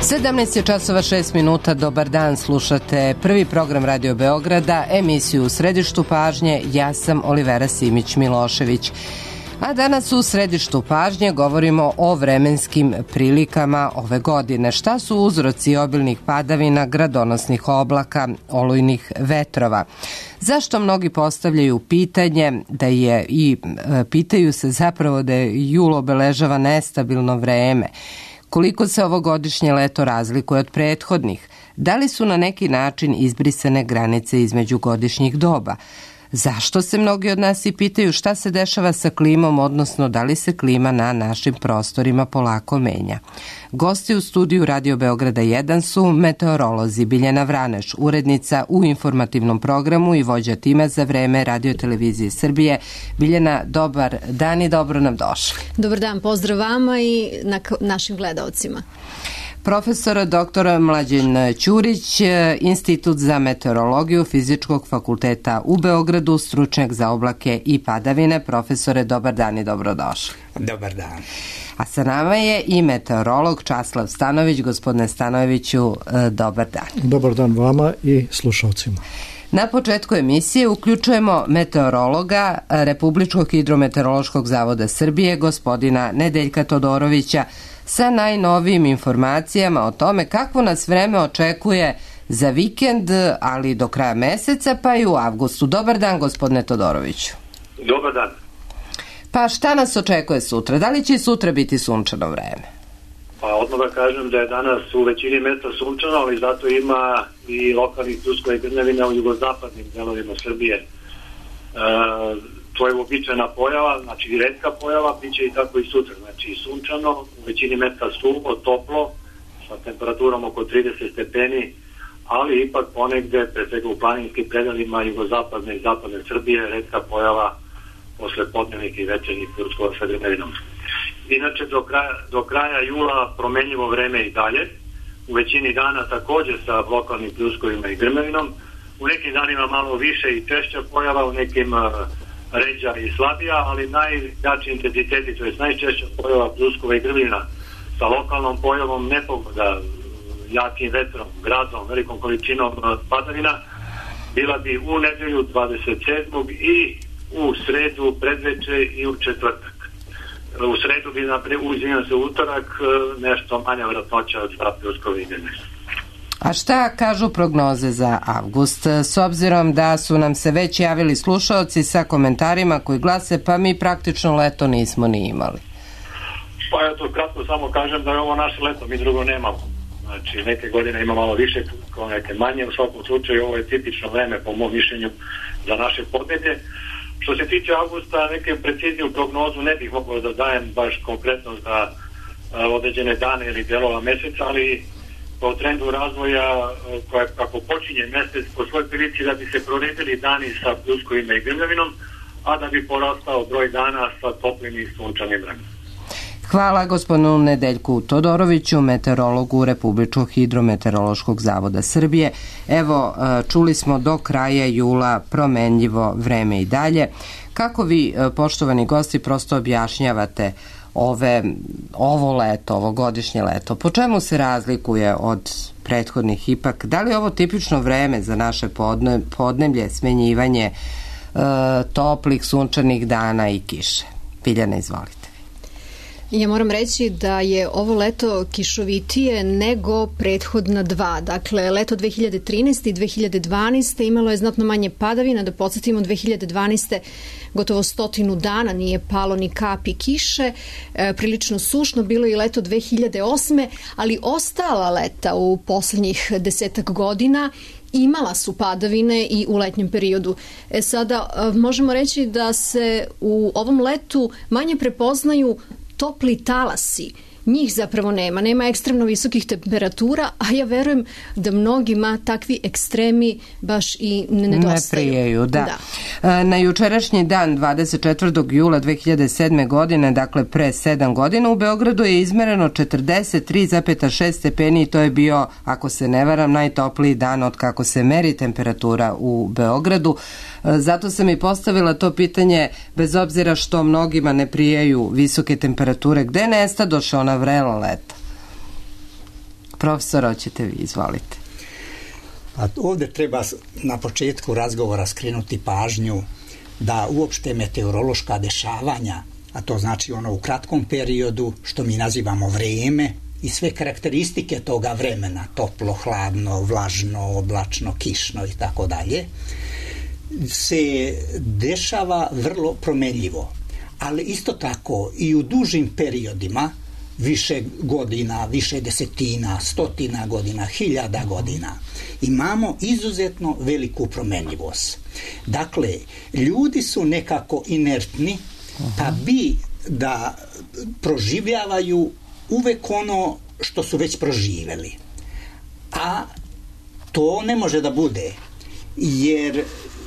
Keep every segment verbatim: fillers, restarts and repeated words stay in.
sedamnaest je časova šest minuta, dobar dan, slušate prvi program Radio Beograda, emisiju U središtu pažnje, ja sam Olivera Simić-Milošević. A danas u središtu pažnje govorimo o vremenskim prilikama ove godine. Šta su uzroci obilnih padavina, gradonosnih oblaka, olujnih vetrova? Zašto mnogi postavljaju pitanje da je i e, pitaju se zapravo da je jul obeležava nestabilno vreme? Koliko se ovogodišnje leto razlikuje od prethodnih? Da li su na neki način izbrisane granice između godišnjih doba? Zašto se mnogi od nas i pitaju šta se dešava sa klimom, odnosno da li se klima na našim prostorima polako menja? Gosti u studiju Radio Beograda jedan su meteorolozi Biljana Vraneš, urednica u informativnom programu i vođa tima za vreme Radio Televizije Srbije. Biljana, dobar dan i dobro nam došli. Dobar dan, pozdrav vama i na našim gledaocima. Profesor doktor Mlađan Ćurić, Institut za meteorologiju Fizičkog fakulteta u Beogradu, stručnjak za oblake i padavine. Profesore, dobar dan i dobrodošli. Dobar dan. A sa nama je i meteorolog Časlav Stanojević. Gospodine Stanojeviću, dobar dan. Dobar dan vama i slušalcima. Na početku emisije uključujemo meteorologa Republičkog hidrometeorološkog zavoda Srbije, gospodina Nedeljka Todorovića, sa najnovijim informacijama o tome kako nas vreme očekuje za vikend, ali do kraja meseca, pa i u avgustu. Dobar dan, gospodine Todoroviću. Dobar dan. Pa šta nas očekuje sutra? Da li će sutra biti sunčano vreme? Pa odmah da kažem da je danas u većini mesta sunčano, ali zato ima i lokalnih pljuskova i grmljavina u jugozapadnim delovima Srbije. E, to je uobičajena pojava, znači retka pojava, bit će i tako i sutra. Znači sunčano, u većini mesta suvo, toplo, sa temperaturom oko trideset stepeni, ali ipak ponegde, pre svega u planinskim predelima jugozapadne i zapadne Srbije, retka pojava posle podnevnih i večernjih pljuskova sa grmljavinom. Inače, do kraja, do kraja jula promenljivo vreme i dalje. U većini dana također sa lokalnim pljuskovima i grmljavinom. U nekim danima malo više i češća pojava, u nekim uh, ređa i slabija, ali najjači intenziteti, to je najčešća pojava pljuskova i grmljavina sa lokalnom pojavom nepogoda, jakim vetrom, gradom, velikom količinom padavina, bila bi u nedelju dvadeset sedmog i u sredu predveče i u četvrtak. U sredu bi, naprijed, uzimam se utorak, nešto manja vratnoća od dva pljuskova i grmljavina. A šta kažu prognoze za avgust? S obzirom da su nam se već javili slušaoci sa komentarima koji glase, pa mi praktično leto nismo ni imali. Pa ja to kratko samo kažem da je ovo naše leto, mi drugo nemamo. Znači neke godine ima malo više, kao neke manje, u svakom slučaju ovo je tipično vreme po mom mišljenju za naše podneblje. Što se tiče avgusta, neke precizniju prognozu ne bih mogao da dajem baš konkretno za uh, određene dane ili delova meseca, ali po trendu razvoja koja, kako počinje mesec, po svoj prilici da bi se proredili dani sa pljuskovima i grmljavinom, a da bi porastao broj dana sa toplim i sunčanim vremenom. Hvala gospodinu Nedeljku Todoroviću, meteorologu Republičkog hidrometeorološkog zavoda Srbije. Evo, čuli smo do kraja jula promenljivo vreme i dalje. Kako vi, poštovani gosti, prosto objašnjavate ove, ovo leto, ovogodišnje leto? Po čemu se razlikuje od prethodnih ipak? Da li je ovo tipično vreme za naše podne, podneblje, smenjivanje e, toplih sunčanih dana i kiše? Biljana, izvolite. Ja moram reći da je ovo leto kišovitije nego prethodna dva. Dakle, leto dve hiljade trinaeste i dve hiljade dvanaeste imalo je znatno manje padavina. Da podsjetimo, dve hiljade dvanaeste gotovo stotinu dana nije palo ni kapi kiše. E, prilično sušno bilo i leto dve hiljade osme, ali ostala leta u poslednjih desetak godina imala su padavine i u letnjem periodu. E sada, možemo reći da se u ovom letu manje prepoznaju topli talasi. Njih zapravo nema. Nema ekstremno visokih temperatura, a ja verujem da mnogima takvi ekstremi baš i ne nedostaju. Ne prijaju, da. da. Na jučerašnji dan, dvadeset četvrtog jula dve hiljade sedme. godine, dakle pre sedam godina, u Beogradu je izmereno četrdeset tri zarez šest stepeni i to je bio, ako se ne varam, najtopliji dan od kako se meri temperatura u Beogradu. Zato sam i postavila to pitanje, bez obzira što mnogima ne prijaju visoke temperature, gde nestadoše ona vrela leta? Profesor, hoćete vi, izvolite. A ovdje treba na početku razgovora skrenuti pažnju da uopšte meteorološka dešavanja, a to znači ono u kratkom periodu, što mi nazivamo vrijeme, i sve karakteristike toga vremena, toplo, hladno, vlažno, oblačno, kišno i tako dalje, se dešava vrlo promenljivo. Ali isto tako i u dužim periodima, više godina, više desetina, stotina godina, hiljada godina, imamo izuzetno veliku promenljivost. Dakle, ljudi su nekako inertni, pa bi da proživljavaju uvek ono što su već proživjeli. A to ne može da bude, jer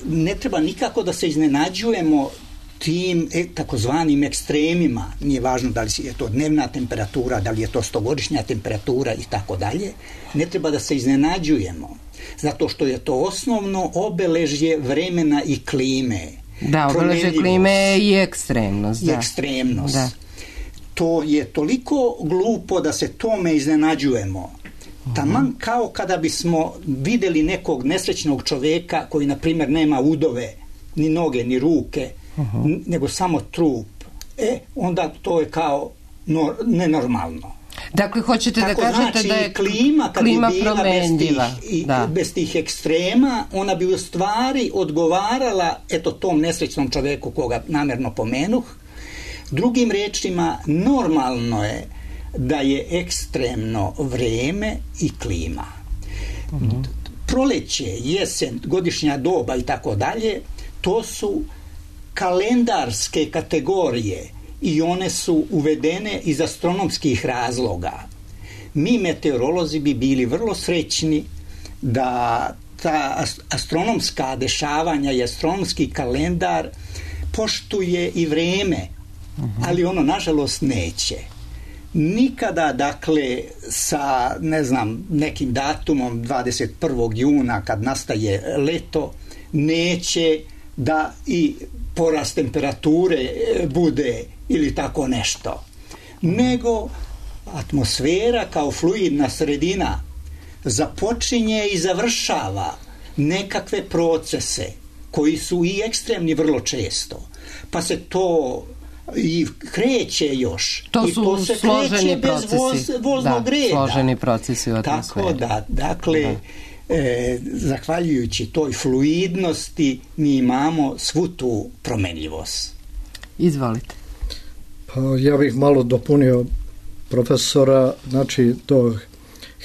ne treba nikako da se iznenađujemo tim e, takozvanim ekstremima. Nije važno da li je to dnevna temperatura, da li je to stogodišnja temperatura i tako dalje. Ne treba da se iznenađujemo, zato što je to osnovno obeležje vremena i klime. Da, obeležje klime i ekstremnost. I da. ekstremnost. Da. To je toliko glupo da se tome iznenađujemo. Taman kao kada bismo vidjeli nekog nesrećnog čovjeka koji, na primjer, nema udove, ni noge, ni ruke, uh-huh. nego samo trup. E, onda to je kao nor, nenormalno. Dakle, hoćete Tako da kažete znači, da je klima, kad klima bi bila promenljiva. Bez tih, da. bez tih ekstrema, ona bi u stvari odgovarala eto tom nesrećnom čovjeku koga namjerno pomenuh. Drugim rečima, normalno je da je ekstremno vrijeme i klima. Uh-huh. Proleće, jesen, godišnja doba i tako dalje, to su kalendarske kategorije i one su uvedene iz astronomskih razloga. Mi meteorolozi bi bili vrlo srećni da ta astronomska dešavanja i astronomski kalendar poštuje i vrijeme, uh-huh. ali ono nažalost neće. Nikada, dakle, sa, ne znam, nekim datumom dvadeset prvog juna kad nastaje leto, neće da i porast temperature bude ili tako nešto. Nego atmosfera kao fluidna sredina započinje i završava nekakve procese koji su i ekstremni vrlo često. Pa se to i kreće još. To I su to se složeni bez procesi. Voz, voznog da, reda. složeni procesi u atmosferi. Tako da, dakle, da. E, zahvaljujući toj fluidnosti mi imamo svu tu promenljivost. Izvolite. Pa ja bih malo dopunio profesora, znači do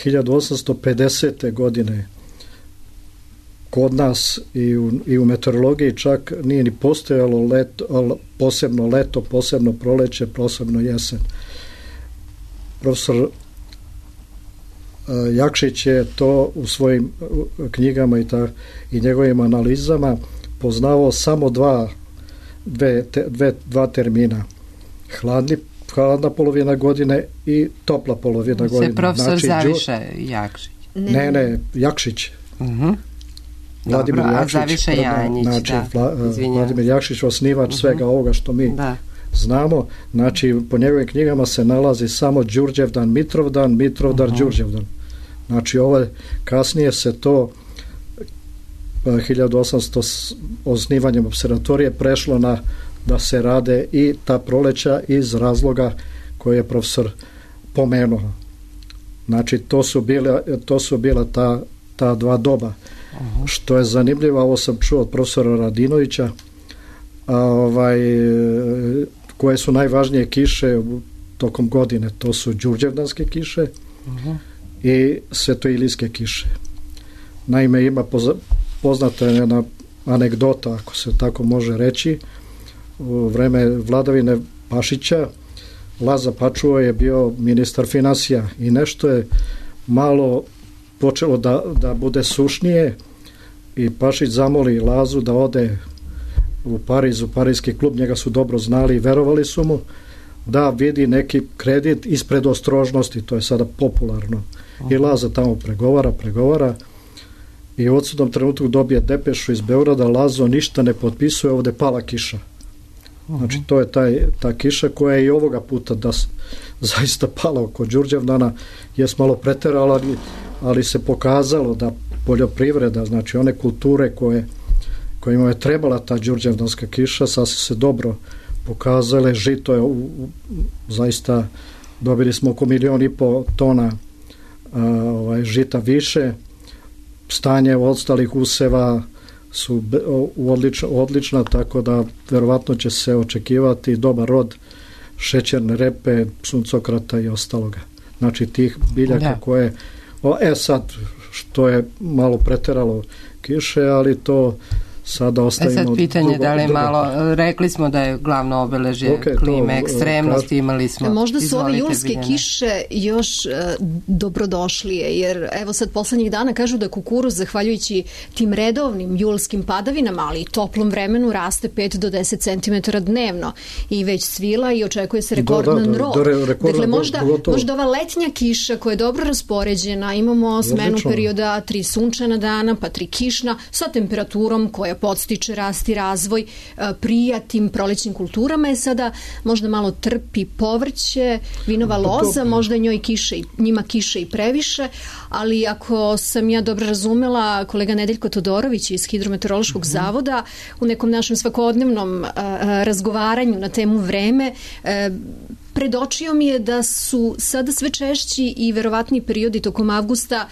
hiljadu osamsto pedesete. godine kod nas i u, i u meteorologiji čak nije ni postojalo leto, posebno leto, posebno proleće, posebno jesen. Profesor Jakšić je to u svojim knjigama i, ta, i njegovim analizama poznavao samo dva, dve, te, dve, dva termina. Hladni, hladna polovina godine i topla polovina Se godine. Profesor znači, Zaviša Jakšić. Ne, ne, Jakšić. Uh-huh. Vladimir Dobro, Jakšić, a Zaviša Janjić, znači, da. Vla, Vladimir Jakšić, osnivač uh-huh. svega ovoga što mi da. znamo. Znači, po njegovim knjigama se nalazi samo Đurđevdan, Mitrovdan, Mitrovdar, uh-huh. Đurđevdan. Znači, ovo kasnije se to hiljadu osamsto osnivanjem observatorije prešlo na da se rade i ta proleća iz razloga koje je profesor pomenuo. Znači, to su bile, to su bila ta, ta dva doba. Uh-huh. Što je zanimljivo, ovo sam čuo od profesora Radinovića, a, ovaj, koje su najvažnije kiše tokom godine. To su đurđevdanske kiše uh-huh. i svetoilijske kiše. Naime, ima poza, poznata jedna anegdota, ako se tako može reći, u vreme vladavine Pašića Laza Pačuo je bio ministar finansija i nešto je malo počelo da, da bude sušnije i Pašić zamoli Lazu da ode u Pariz, u Parijski klub, njega su dobro znali i verovali su mu, da vidi neki kredit ispred ostrožnosti, to je sada popularno. I Laza tamo pregovara, pregovara i u odsudnom trenutku dobije depešu iz Beograda, Lazo ništa ne potpisuje, ovde pala kiša. Znači to je taj, ta kiša koja je i ovoga puta da zaista pala oko Đurđevdana, je malo preterala, ali, ali se pokazalo da poljoprivreda, znači one kulture koje, kojima je trebala ta đurđevdanska kiša, sasvim se dobro pokazale. Žito je u, u, zaista dobili smo oko milion i po tona a, ovaj, žita više. Stanje ostalih useva su odlično, odlična, tako da verovatno će se očekivati dobar rod šećerne repe, suncokrata i ostaloga. Znači tih biljaka da. koje... O, e sad, što je malo preteralo kiše, ali to sada ostavimo... E sad pitanje drugo, da li je drugo. malo... Rekli smo da je glavno obeležje okay, klime, to, ekstremnosti, kar... imali smo... Možda su ove julske Biljana. kiše još uh, dobrodošlije, jer evo sad poslednjih dana kažu da kukuruz, zahvaljujući tim redovnim julskim padavinama, ali i toplom vremenu, raste pet do deset centimetara dnevno i već svila i očekuje se rekordan da, da, rod. Da, da, rekordan, dakle, možda, gotovo. možda ova letnja kiša koja je dobro raspoređena, imamo smenu Odlično. perioda, tri sunčana dana, pa tri kišna, sa temperaturom koja podstiče rast i razvoj prija tim prolećnim kulturama, je sada možda malo trpi povrće, vinova loza, možda njoj kiše, njima kiše i previše, ali ako sam ja dobro razumela, kolega Nedeljko Todorović iz Hidrometeorološkog mm-hmm. zavoda u nekom našem svakodnevnom a, a, razgovaranju na temu vreme a, predočio mi je da su sada sve češći i verovatni periodi tokom avgusta,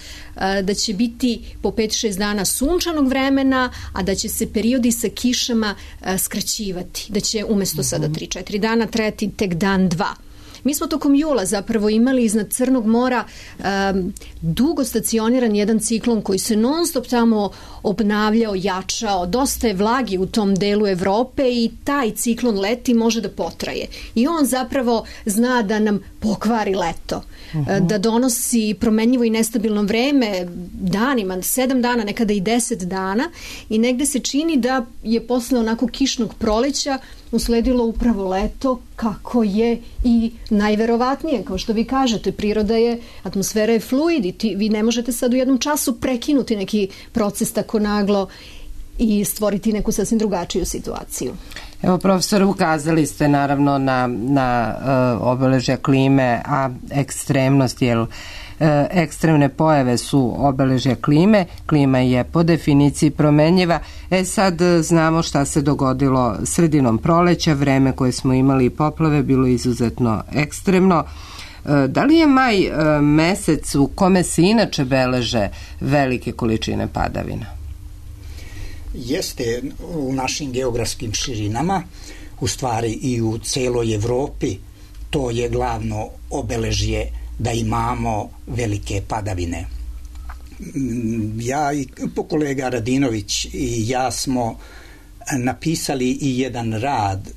da će biti po pet šest dana sunčanog vremena, a da će se periodi sa kišama skraćivati, da će umesto sada tri četiri dana trajati tek dan dva. Mi smo tokom jula zapravo imali iznad Crnog mora um, dugo stacioniran jedan ciklon koji se non stop tamo obnavljao, jačao, dosta je vlagi u tom delu Evrope i taj ciklon leti može da potraje. I on zapravo zna da nam pokvari leto, uh-huh. da donosi promenljivo i nestabilno vreme danima, sedam dana, nekada i deset dana i negde se čini da je posle onako kišnog proleća usledilo upravo leto, kako je i najverovatnije, kao što vi kažete, priroda je, atmosfera je fluid i ti, vi ne možete sad u jednom času prekinuti neki proces tako naglo i stvoriti neku sasvim drugačiju situaciju. Evo, profesor, ukazali ste naravno na, na uh, obeležja klime, a ekstremnost, jel, ekstremne pojave su obeležja klime. Klima je po definiciji promenljiva. E sad znamo šta se dogodilo sredinom proleća, vreme koje smo imali poplave bilo izuzetno ekstremno. Da li je maj mesec u kome se inače beleže velike količine padavina? Jeste, u našim geografskim širinama, u stvari i u celoj Evropi, to je glavno obeležje da imamo velike padavine. Ja i kolega Radinović i ja smo napisali i jedan rad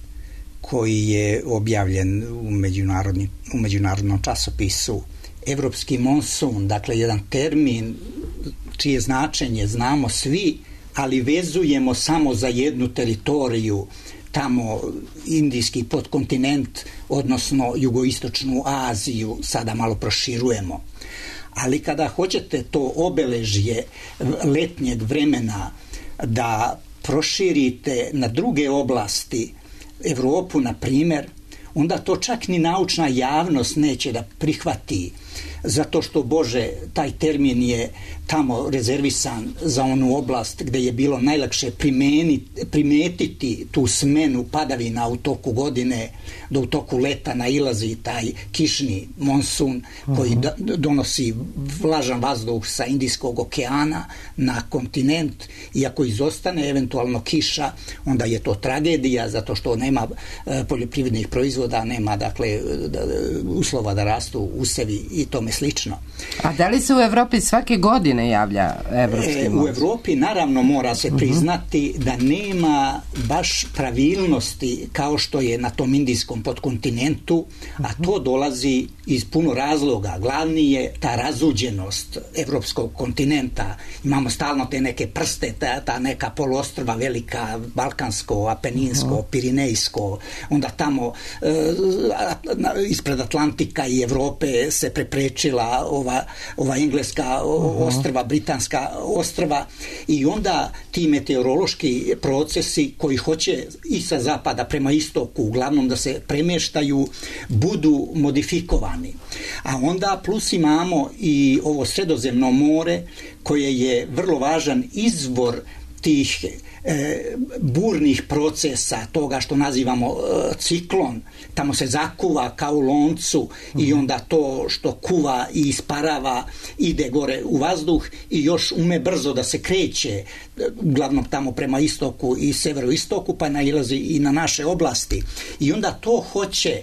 koji je objavljen u, u međunarodnom časopisu Evropski monsun, dakle jedan termin čije značenje znamo svi, ali vezujemo samo za jednu teritoriju, tamo indijski podkontinent, odnosno jugoistočnu Aziju, sada malo proširujemo. Ali kada hoćete to obeležje letnjeg vremena da proširite na druge oblasti, Evropu, na primjer, onda to čak ni naučna javnost neće da prihvati, zato što, Bože, taj termin je tamo rezervisan za onu oblast gde je bilo najlakše primetiti tu smenu padavina u toku godine, da u toku leta nailazi taj kišni monsun koji uh-huh. donosi vlažan vazduh sa Indijskog okeana na kontinent, i ako izostane eventualno kiša, onda je to tragedija, zato što nema e, poljoprivrednih proizvoda, nema dakle da, uslova da rastu usevi i tome slično. A da li se u Evropi svake godine javlja evropski e, U Evropi naravno mora se priznati uh-huh. da nema baš pravilnosti kao što je na tom indijskom podkontinentu, a to dolazi iz puno razloga. Glavni je ta razuđenost evropskog kontinenta. Imamo stalno te neke prste, ta, ta neka poluostrva velika, balkansko, apeninsko, uh-huh. pirinejsko, onda tamo e, ispred Atlantika i Evrope se prepreče sprečila ova, ova engleska ostrva, britanska ostrva, i onda ti meteorološki procesi koji hoće i sa zapada prema istoku uglavnom da se premještaju budu modifikovani. A onda plus imamo i ovo Sredozemno more koje je vrlo važan izvor tih e, burnih procesa, toga što nazivamo e, ciklon. Tamo se zakuva kao u loncu i onda to što kuva i isparava ide gore u vazduh i još ume brzo da se kreće, uglavnom tamo prema istoku i severoistoku, pa nailazi i na naše oblasti. I onda to hoće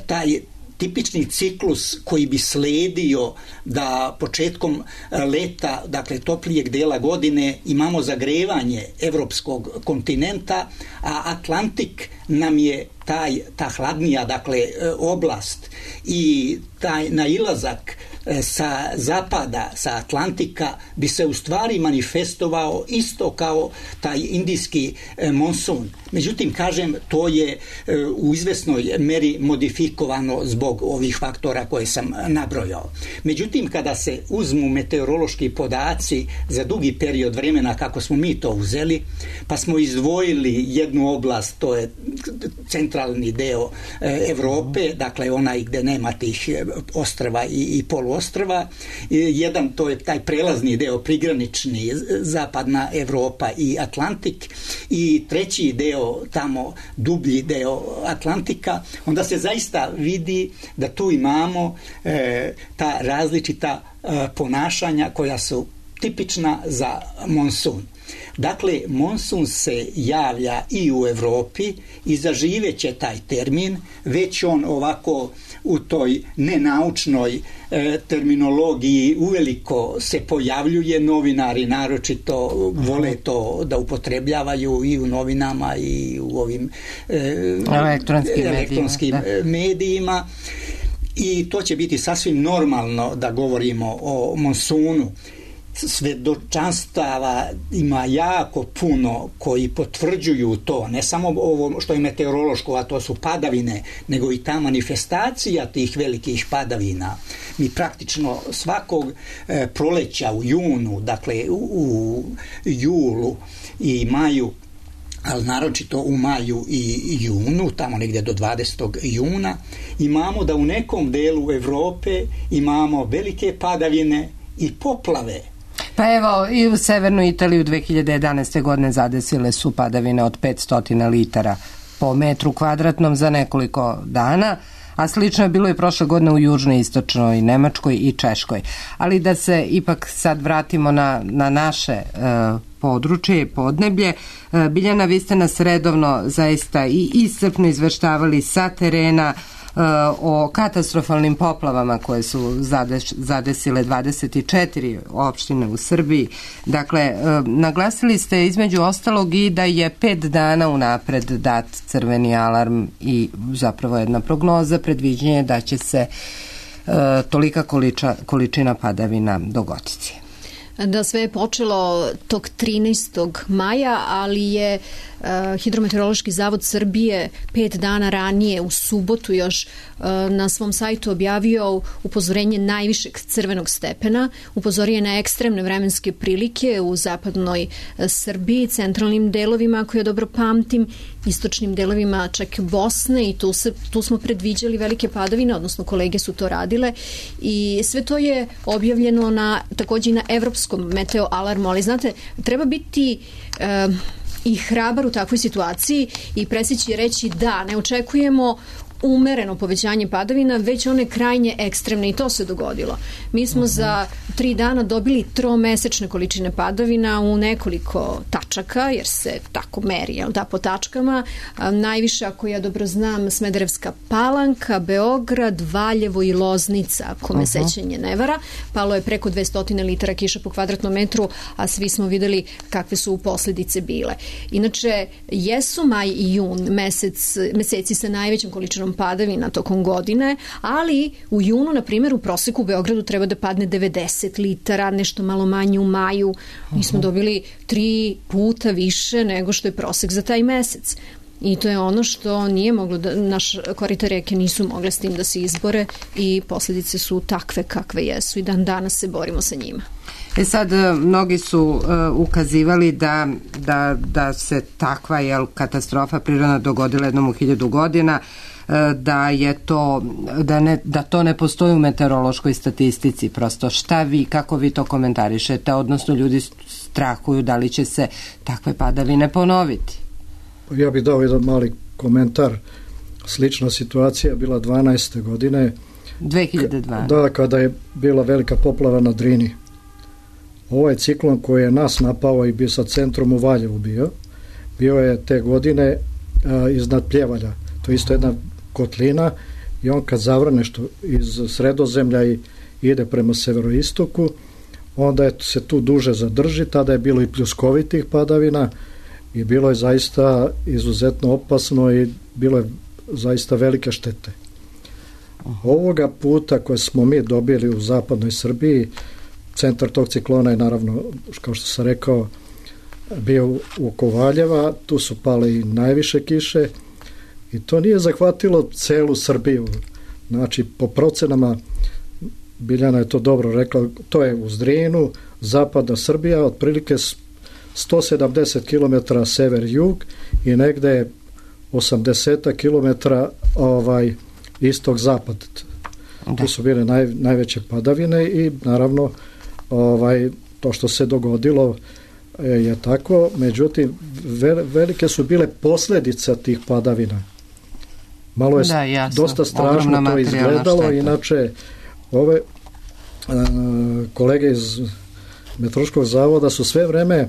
taj tipični ciklus koji bi sledio da početkom leta, dakle toplijeg dela godine, imamo zagrevanje evropskog kontinenta, a Atlantik nam je taj, ta hladnija, dakle, oblast, i taj nailazak sa zapada, sa Atlantika bi se u stvari manifestovao isto kao taj indijski monsun. Međutim, kažem, to je u izvesnoj meri modifikovano zbog ovih faktora koje sam nabrojao. Međutim, kada se uzmu meteorološki podaci za dugi period vremena kako smo mi to uzeli, pa smo izdvojili jednu oblast, to je centralni deo Evrope, dakle onaj gde nema tih ostrva i, i poluostrva. Jedan, to je taj prelazni deo, prigranični, zapadna Evropa i Atlantik, i treći deo, tamo dublji deo Atlantika, onda se zaista vidi da tu imamo e, ta različita e, ponašanja koja su tipična za monsun. Dakle, monsun se javlja i u Evropi i zaživeće taj termin, već on ovako u toj nenaučnoj e, terminologiji uveliko se pojavljuje, novinari naročito vole to da upotrebljavaju i u novinama i u ovim e, elektronskim, elektronskim medijima, medijima, i to će biti sasvim normalno da govorimo o monsunu. Svedočanstava ima jako puno koji potvrđuju to, ne samo ovo što je meteorološko, a to su padavine, nego i ta manifestacija tih velikih padavina. Mi praktično svakog e, proleća u junu, dakle u, u julu i maju, ali naročito u maju i junu, tamo negdje do dvadesetog juna, imamo da u nekom delu Evrope imamo velike padavine i poplave. Pa evo, i u severnoj Italiji u dve hiljade jedanaeste. godine zadesile su padavine od petsto litara po metru kvadratnom za nekoliko dana, a slično je bilo i prošle godine u južnoj, istočnoj Nemačkoj i Češkoj. Ali da se ipak sad vratimo na, na naše e, područje i podneblje. E, Biljana, vi ste nas redovno zaista i iscrpno izveštavali sa terena o katastrofalnim poplavama koje su zadesile dvadeset četiri opštine u Srbiji. Dakle, naglasili ste između ostalog i da je pet dana unapred dat crveni alarm i zapravo jedna prognoza, predviđenje da će se tolika količa, količina padavina dogoditi. Da, sve je počelo tog trinaestog maja, ali je uh, Hidrometeorološki zavod Srbije pet dana ranije, u subotu još, uh, na svom sajtu objavio upozorenje najvišeg crvenog stepena. Upozorio je na ekstremne vremenske prilike u zapadnoj uh, Srbiji, centralnim delovima, ako ja dobro pamtim, istočnim delovima čak Bosne, i tu, se, tu smo predviđali velike padavine, odnosno kolege su to radile, i sve to je objavljeno na, takođe i na evropskom meteo alarmu, ali znate, treba biti e, i hrabar u takvoj situaciji i presjeći reći da ne očekujemo umereno povećanje padavina, već one krajnje ekstremne, i to se dogodilo. Mi smo za tri dana dobili tromesečne količine padavina u nekoliko tačaka, jer se tako meri, jel da, po tačkama. A, najviše, ako ja dobro znam, Smederevska Palanka, Beograd, Valjevo i Loznica, ako me uh-huh. sećanje ne vara. Palo je preko dvesta litara kiša po kvadratnom metru, a svi smo videli kakve su posljedice bile. Inače, jesu maj i jun mesec, meseci sa najvećom količinom padavina tokom godine, ali u junu, na primjer, u proseku u Beogradu treba da padne devedeset litara, nešto malo manje u maju. Mi smo dobili tri puta više nego što je prosek za taj mesec. I to je ono što nije moglo da, naš korita reke nisu mogle s tim da se izbore i posljedice su takve kakve jesu i dan danas se borimo sa njima. E sad, mnogi su uh, ukazivali da, da, da se takva jel, katastrofa prirodna dogodila jednom u hiljadu godina, uh, da je to, da, ne, da to ne postoji u meteorološkoj statistici. Prosto šta vi, kako vi to komentarišete, odnosno ljudi strahuju da li će se takve padavine ponoviti? Ja bih dao jedan mali komentar. Slična situacija bila dvanaeste godine. dve hiljade dvanaeste. Da, kada je bila velika poplava na Drini. Ovaj ciklon koji je nas napao i bio sa centrom u Valjevu bio, bio je te godine a, iznad Pljevalja. To je isto jedna kotlina i on kad zavrne što iz Sredozemlja i ide prema severoistoku, onda je, se tu duže zadrži, tada je bilo i pljuskovitih padavina i bilo je zaista izuzetno opasno i bilo je zaista velike štete. Ovoga puta koje smo mi dobili u zapadnoj Srbiji, centar tog ciklona je naravno, kao što sam rekao, bio u Kovaljeva, tu su pale i najviše kiše i to nije zahvatilo celu Srbiju. Znači, po procenama, Biljana je to dobro rekla, to je uz Drinu, zapadna Srbija, otprilike sto sedamdeset kilometara sever-jug i negde osamdeset kilometara ovaj, istog-zapad. Tu su bile naj, najveće padavine i naravno ovaj, to što se dogodilo je tako, međutim velike su bile posljedice tih padavina. Malo je da, jasno, dosta strašno to izgledalo, šteta. Inače ove uh, kolege iz Meteorološkog zavoda su sve vreme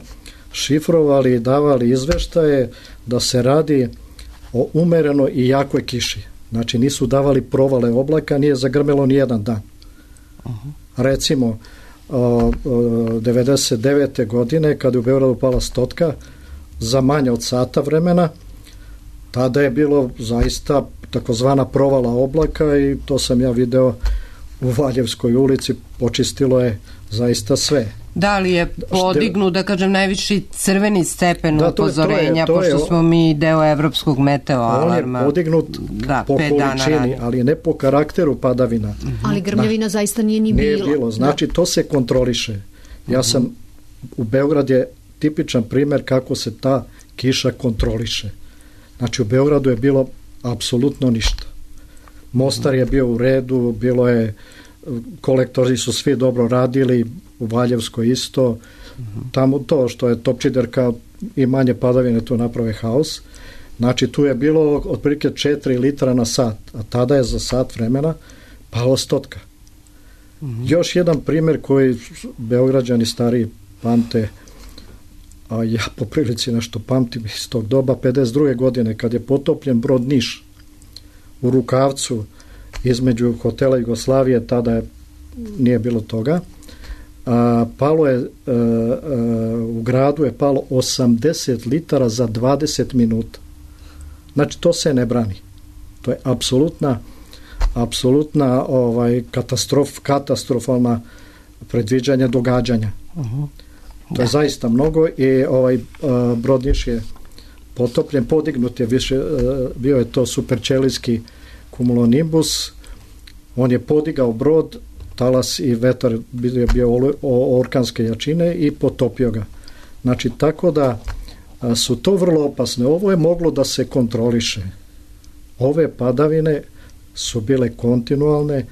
šifrovali i davali izveštaje da se radi o umereno i jakoj kiši. Znači nisu davali provale oblaka, nije zagrmelo ni jedan dan. Uh-huh. Recimo uh, uh, devedeset devete godine kada je u Beogradu pala stotka za manje od sata vremena, tada je bilo zaista takozvana provala oblaka i to sam ja video u Valjevskoj ulici, počistilo je zaista sve. Da li je podignut, da kažem, najviši crveni stepen da, upozorenja, to je, to je, pošto smo mi deo evropskog meteo alarma. On je podignut da, po količini, ali ne po karakteru padavina. Uh-huh. Ali grmljavina da, zaista nije ni nije bilo. bilo. Znači, da. To se kontroliše. Ja uh-huh. sam, u Beograd je tipičan primjer kako se ta kiša kontroliše. Znači, u Beogradu je bilo apsolutno ništa. Mostar je bio u redu, bilo je, kolektori su svi dobro radili, u Valjevskoj isto, uh-huh. tamo to što je Topčiderka i manje padavine tu naprave haos. Znači tu je bilo otprilike četiri litra na sat, a tada je za sat vremena palo stotka. Uh-huh. Još jedan primjer koji Beograđani stariji pamte, a ja po prilici nešto pamtim iz tog doba, pedeset druge godine kad je potopljen brod Niš u Rukavcu između hotela Jugoslavije, tada je, nije bilo toga. A, palo je a, a, u gradu je palo osamdeset litara za dvadeset minuta. Znači to se ne brani. To je apsolutna apsolutna ovaj katastrof katastrofalna predviđanja događanja. Uh-huh. To da. Je zaista mnogo i ovaj a, brod Niš je potopljen, podignut je više, a, bio je to superčelijski cumulonimbus. On je podigao brod, talas i vetar je bio orkanske jačine i potopio ga. Znači, tako da a, su to vrlo opasne. Ovo je moglo da se kontroliše. Ove padavine su bile kontinualne,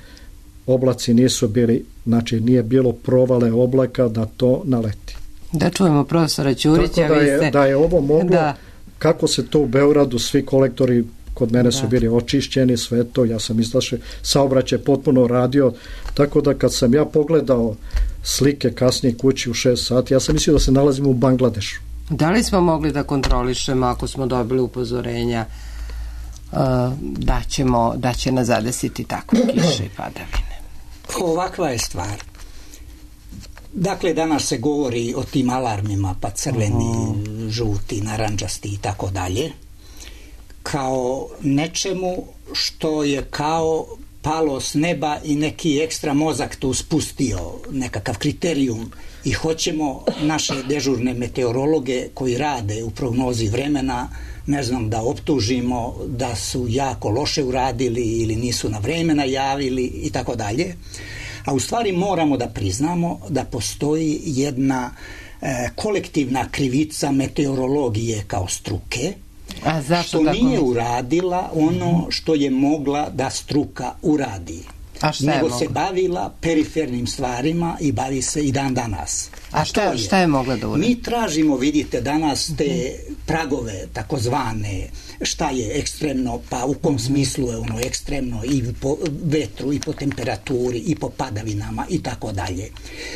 oblaci nisu bili, znači nije bilo provale oblaka da to naleti. Da čujemo profesora Ćurića. Tako da je, ste... da je ovo moglo, da. Kako se to u Beogradu, svi kolektori kod mene su bili očišćeni, sve to, ja sam izlašao, saobraćaj potpuno radio, tako da kad sam ja pogledao slike kasnije kući u šest sati, ja sam mislio da se nalazimo u Bangladešu. Da li smo mogli da kontrolišemo ako smo dobili upozorenja uh, da, ćemo, da će nas zadesiti takve kiše i padavine? Ovakva je stvar. Dakle, danas se govori o tim alarmima, pa crveni, mm. žuti, naranđasti i tako dalje, kao nečemu što je kao palo s neba i neki ekstra mozak tu spustio, nekakav kriterijum i hoćemo naše dežurne meteorologe koji rade u prognozi vremena, ne znam, da optužimo da su jako loše uradili ili nisu na vreme najavili i tako dalje. A u stvari moramo da priznamo da postoji jedna e, kolektivna krivica meteorologije kao struke, A zašto što tako nije mi? uradila ono što je mogla da struka uradi. A šta je nego mogla? se bavila perifernim stvarima i bavi se i dan danas. A šta, šta je mogla da uradi? Mi tražimo, vidite, danas te pragove takozvane, šta je ekstremno, pa u kom smislu je ono ekstremno i po vetru i po temperaturi i po padavinama i tako dalje.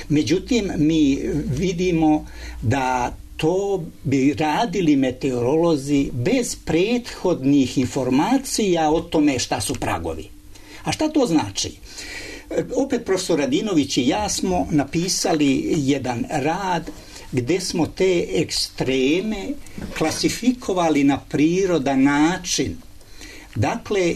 Međutim, mi vidimo da to bi radili meteorolozi bez prethodnih informacija o tome šta su pragovi. A šta to znači? Opet profesor Radinović i ja smo napisali jedan rad gde smo te ekstreme klasifikovali na prirodan način. Dakle,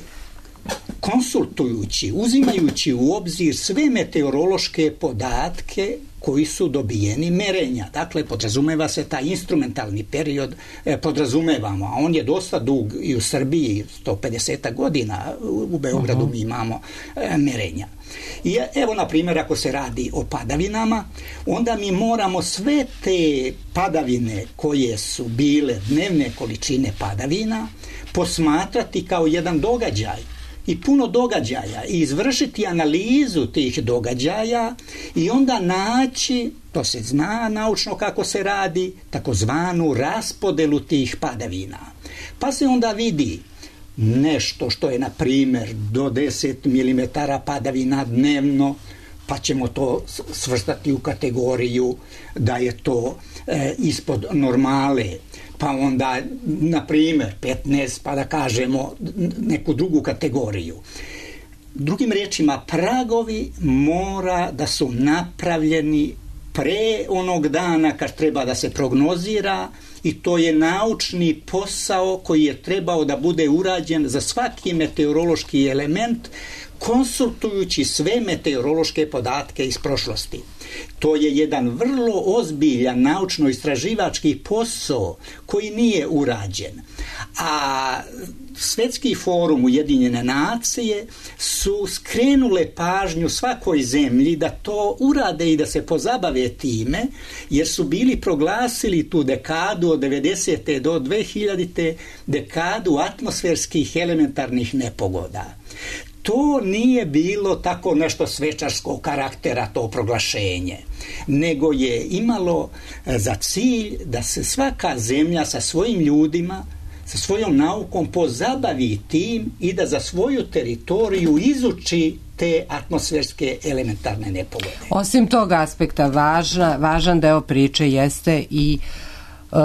konsultujući, uzimajući u obzir sve meteorološke podatke koji su dobijeni merenja. Dakle, podrazumeva se taj instrumentalni period, eh, podrazumevamo, a on je dosta dug i u Srbiji, sto pedeset godina, u Beogradu uh-huh. mi imamo eh, merenja. I evo, na primjer, ako se radi o padavinama, onda mi moramo sve te padavine koje su bile dnevne količine padavina posmatrati kao jedan događaj i puno događaja i izvršiti analizu tih događaja i onda naći, to se zna naučno kako se radi, takozvanu raspodelu tih padavina. Pa se onda vidi nešto što je, na primjer, do deset milimetara padavina dnevno, pa ćemo to svrstati u kategoriju da je to e, ispod normale. Pa onda, na primjer, petnaest, pa da kažemo neku drugu kategoriju. Drugim riječima, pragovi mora da su napravljeni pre onog dana kad treba da se prognozira i to je naučni posao koji je trebao da bude urađen za svaki meteorološki element, konsultujući sve meteorološke podatke iz prošlosti. To je jedan vrlo ozbiljan naučno-istraživački posao koji nije urađen. A Svetski forum Ujedinjene nacije su skrenule pažnju svakoj zemlji da to urade i da se pozabave time, jer su bili proglasili tu dekadu od devedesete do dve hiljadite dekadu atmosferskih elementarnih nepogoda. To nije bilo tako nešto svečarskog karaktera, to proglašenje, nego je imalo za cilj da se svaka zemlja sa svojim ljudima, sa svojom naukom pozabavi tim i da za svoju teritoriju izuči te atmosferske elementarne nepogode. Osim tog aspekta, važna, važan deo priče jeste i uh,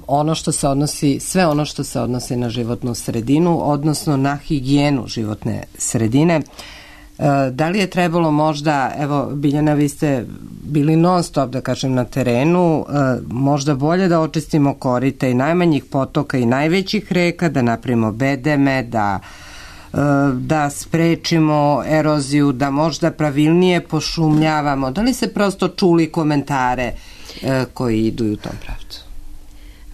ono što se odnosi, sve ono što se odnosi na životnu sredinu, odnosno na higijenu životne sredine. Da li je trebalo možda, evo Biljana, vi ste bili non stop, da kažem, na terenu, možda bolje da očistimo korita i najmanjih potoka i najvećih reka, da napravimo bedeme, da da sprečimo eroziju, da možda pravilnije pošumljavamo? Da li se prosto čuli komentare koji idu u tom pravcu?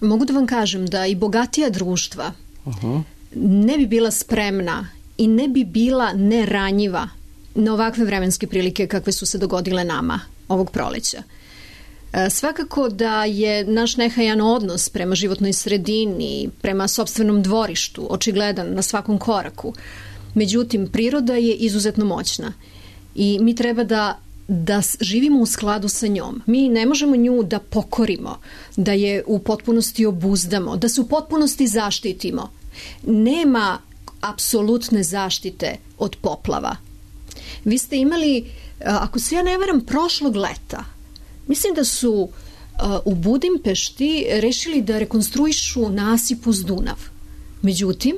Mogu da vam kažem da i bogatija društva uh-huh. ne bi bila spremna i ne bi bila neranjiva na ovakve vremenske prilike kakve su se dogodile nama ovog proleća. E, svakako da je naš nehajan odnos prema životnoj sredini, prema sopstvenom dvorištu očigledan na svakom koraku. Međutim, priroda je izuzetno moćna i mi treba da da živimo u skladu sa njom. Mi ne možemo nju da pokorimo, da je u potpunosti obuzdamo, da se u potpunosti zaštitimo. Nema apsolutne zaštite od poplava. Vi ste imali, ako se ja ne varam, prošlog leta, mislim da su u Budimpešti rešili da rekonstruišu nasip uz Dunav. Međutim,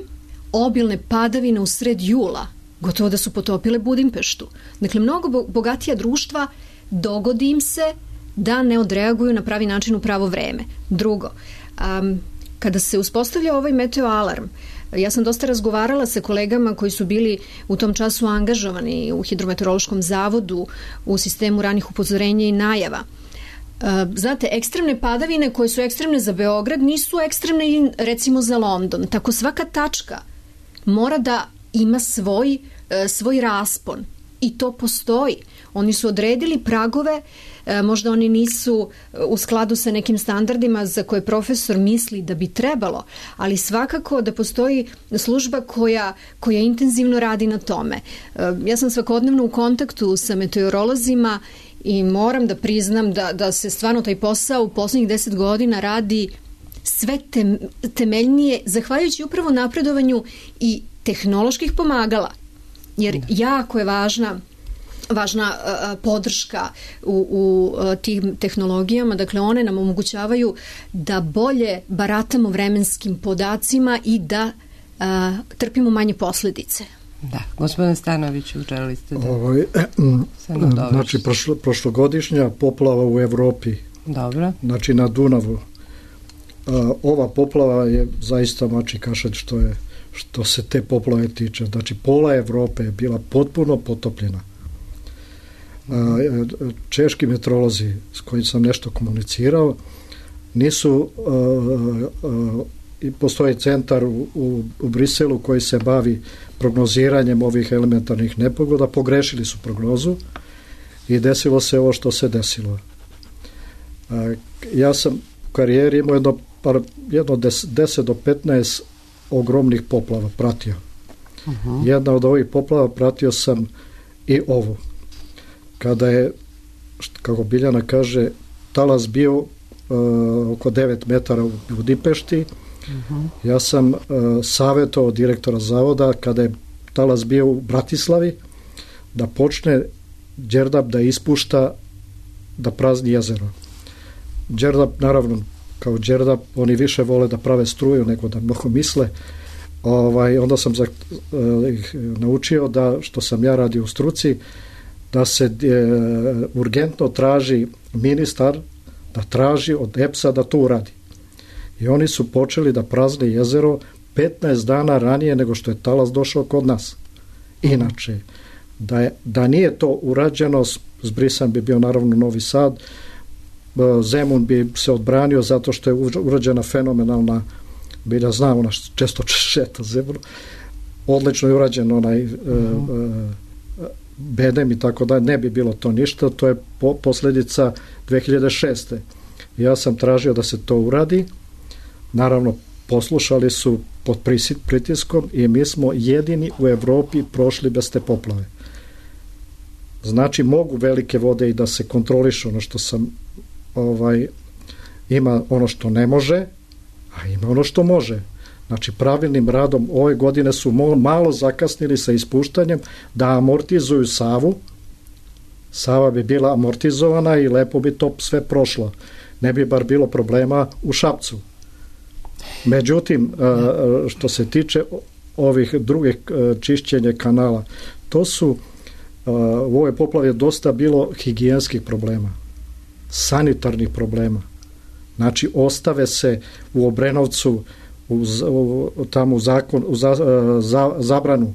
obilne padavine u sred jula gotovo da su potopile Budimpeštu. Dakle, mnogo bogatija društva dogodi im se da ne odreaguju na pravi način u pravo vreme. Drugo, um, kada se uspostavlja ovaj meteo alarm, ja sam dosta razgovarala sa kolegama koji su bili u tom času angažovani u Hidrometeorološkom zavodu u sistemu ranih upozorenja i najava. Znate, ekstremne padavine koje su ekstremne za Beograd nisu ekstremne recimo za London. Tako svaka tačka mora da ima svoj, svoj raspon i to postoji. Oni su odredili pragove, možda oni nisu u skladu sa nekim standardima za koje profesor misli da bi trebalo, ali svakako da postoji služba koja, koja intenzivno radi na tome. Ja sam svakodnevno u kontaktu sa meteorolozima i moram da priznam da, da se stvarno taj posao u poslednjih deset godina radi sve tem, temeljnije, zahvaljujući upravo napredovanju i tehnoloških pomagala. Jer jako je važna važna uh, podrška u, u uh, tim tehnologijama, dakle one nam omogućavaju da bolje baratamo vremenskim podacima i da uh, trpimo manje posledice. Da, gospodin Stanoviću, želili ste da Ovo, eh, znači prošlo, prošlogodišnja poplava u Evropi. Dobro. Znači na Dunavu. Uh, ova poplava je zaista mači kašalj što je što se te poplave tiče. Znači pola Evrope je bila potpuno potopljena. Češki meteorolozi s kojim sam nešto komunicirao nisu i postoji centar u, u, u Briselu koji se bavi prognoziranjem ovih elementarnih nepogoda, pogrešili su prognozu i desilo se ovo što se desilo. Ja sam u karijeri imao jedno, par, jedno deset do petnaest ogromnih poplava pratio. Uh-huh. Jedna od ovih poplava pratio sam i ovu. Kada je, kako Biljana kaže, talas bio uh, oko devet metara u Budimpešti, uh-huh. ja sam uh, savjetovao direktora zavoda kada je talas bio u Bratislavi da počne Đerdap da ispušta, da prazni jezero. Đerdap, naravno, kao Đerdap, oni više vole da prave struju nego da mnogo misle. Ovaj, onda sam za, uh, ih naučio da, što sam ja radio u struci, da se e, urgentno traži ministar da traži od E P S-a da to uradi. I oni su počeli da prazne jezero petnaest dana ranije nego što je talas došao kod nas. Inače, da, je, da nije to urađeno, zbrisan bi bio naravno Novi Sad, Zemun bi se odbranio zato što je urađena fenomenalna, bilja znam, ona često šeta Zemun, odlično je urađen onaj uh-huh. uh, bedem i tako da ne bi bilo to ništa, to je po, posljedica dve hiljade šeste. Ja sam tražio da se to uradi, naravno poslušali su pod pritiskom i mi smo jedini u Evropi prošli bez te poplave. Znači mogu velike vode i da se kontrolišu, ono što sam ovaj, ima ono što ne može, a ima ono što može. Znači pravilnim radom ove godine su malo zakasnili sa ispuštanjem da amortizuju Savu. Sava bi bila amortizovana i lepo bi to sve prošlo. Ne bi bar bilo problema u Šapcu. Međutim, što se tiče ovih drugih čišćenja kanala, to su u ovoj poplavi je dosta bilo higijenskih problema, sanitarnih problema. Znači ostave se u Obrenovcu U, u, tamo u zakon u za, za, zabranu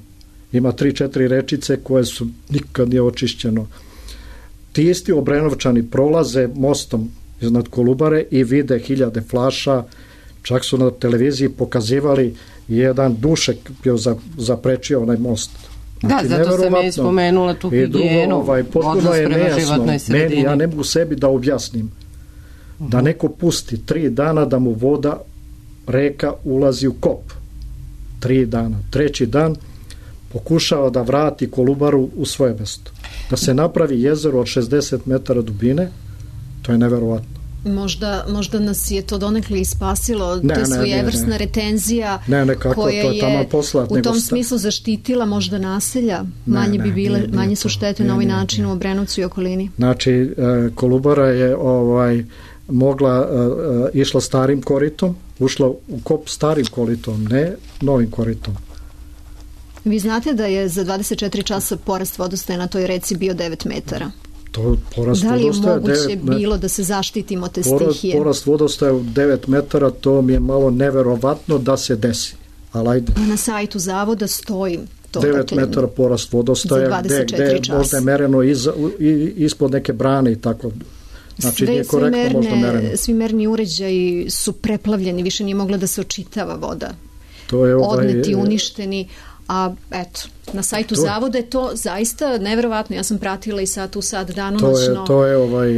ima tri četiri rečice koje su nikad nije očišćeno. Ti isti Obrenovčani prolaze mostom iznad Kolubare i vide hiljade flaša, čak su na televiziji pokazivali jedan dušek bio za, zaprečio onaj most. Znači, da, zato sam je spomenula tu higijenu, ovaj, potpuno je nejasno. Meni, ja ne mogu sebi da objasnim uh-huh. da neko pusti tri dana da mu voda reka ulazi u kop. Tri dana. Treći dan pokušava da vrati Kolubaru u svoje mesto. Da se napravi jezero od šezdeset metara dubine, to je neverovatno. Možda, možda nas je to donekle ispasilo, ne, to je svojevrsna retenzija ne, ne, kako, koja to je, je poslat, u tom sta... smislu zaštitila možda naselja, manje ne, bi bile, nije, nije manje to, su štete nije, na ovaj nije, način nije. u Obrenovcu i okolini. Znači, Kolubara je ovaj mogla, uh, išla starim koritom, ušla u kop starim koritom, ne novim koritom. Vi znate da je za dvadeset četiri časa porast vodostaja na toj reci bio devet metara. To porast da li je moguće devet, bilo da se zaštitimo te porast, stihije? Porast vodostaja u devet metara, to mi je malo neverovatno da se desi. Ali ajde. Na sajtu zavoda stoji to. devet dakle, metara porast vodostaja, gde, gde možda je mereno iza, i, ispod neke brane i tako. Znači, sve, nije korektno možda mereno. Svi merni uređaji su preplavljeni, više nije mogla da se očitava voda. To je ovaj, odneti, uništeni, a eto, na sajtu to, zavoda je to zaista neverovatno. Ja sam pratila i sat u sat danonoćno. To je, to je ovaj...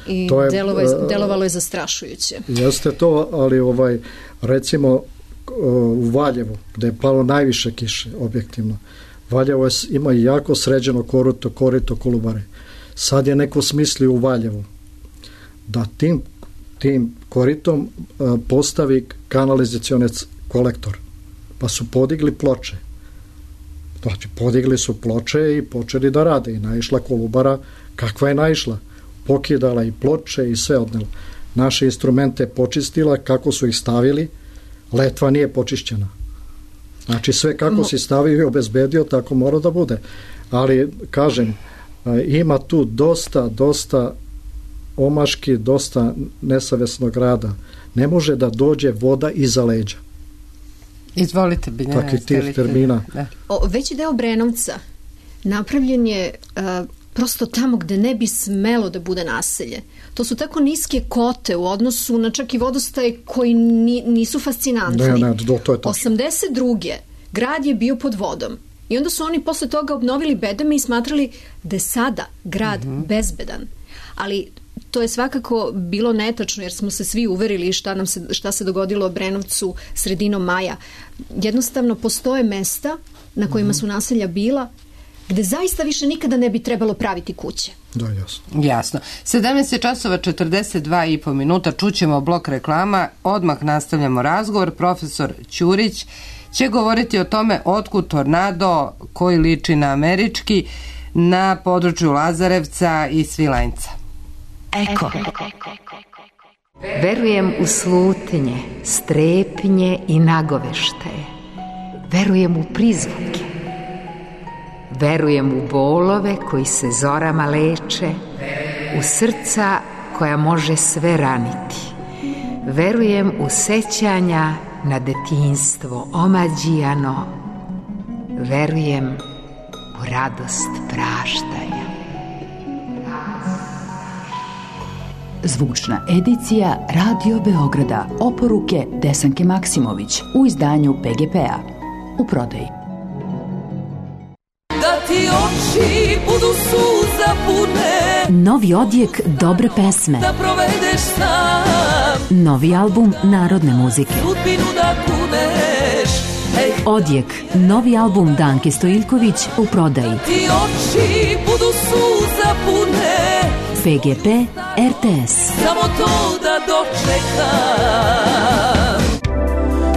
I to je, delovalo, je, delovalo je zastrašujuće. Jeste to, ali ovaj, recimo u Valjevu, gde je palo najviše kiše, objektivno, Valjevo je, ima jako sređeno korito, korito Kolubare. Sad je neko smislio u Valjevu da tim, tim koritom a, postavi kanalizacioni kolektor. Pa su podigli ploče. Znači, podigli su ploče i počeli da rade. I naišla Kolubara, kakva je naišla? Pokidala i ploče i sve odnela. Naše instrumente počistila, kako su ih stavili, letva nije počišćena. Znači, sve kako si stavio i obezbedio, tako mora da bude. Ali, kažem, ima tu dosta, dosta omaški, dosta nesavesnog rada. Ne može da dođe voda iza leđa. Izvolite, Biljana. Takih tih termina. Da. O, veći deo Obrenovca napravljen je uh, prosto tamo gde ne bi smelo da bude naselje. To su tako niske kote u odnosu na čak i vodostaje koji ni, nisu fascinantni. Ne, ne, do, to je tačno. osamdeset druge grad je bio pod vodom. I onda su oni posle toga obnovili bedeme i smatrali da je sada grad mm-hmm. bezbedan. Ali to je svakako bilo netačno, jer smo se svi uverili šta, nam se, šta se dogodilo u Obrenovcu sredinom maja. Jednostavno postoje mesta na kojima su naselja bila gde zaista više nikada ne bi trebalo praviti kuće. Da, jasno. Jasno. sedamnaest časova četrdeset dva i po minuta, čućemo blok reklama, odmah nastavljamo razgovor. Profesor Ćurić će govoriti o tome otkud tornado koji liči na američki na području Lazarevca i Svilajnca. Eko. Verujem u slutnje, strepnje i nagoveštaje. Verujem u prizvuke. Verujem u bolove koji se zorama leče, u srca koja može sve raniti. Verujem u sećanja na detinjstvo omađijano. Verujem u radost praštanja. Zvučna edicija Radio Beograda, oporuke Desanke Maksimović u izdanju P G P-a. U prodaji. Da ti oči budu suza pune, novi odjek dobre pesme, da provedeš sam, novi album narodne muzike, sudbinu da kuneš. Ej. Odjek, novi album Danke Stojiljković u prodaji. Da ti oči budu suza pune, P G P R T S. Samo to da dočekam.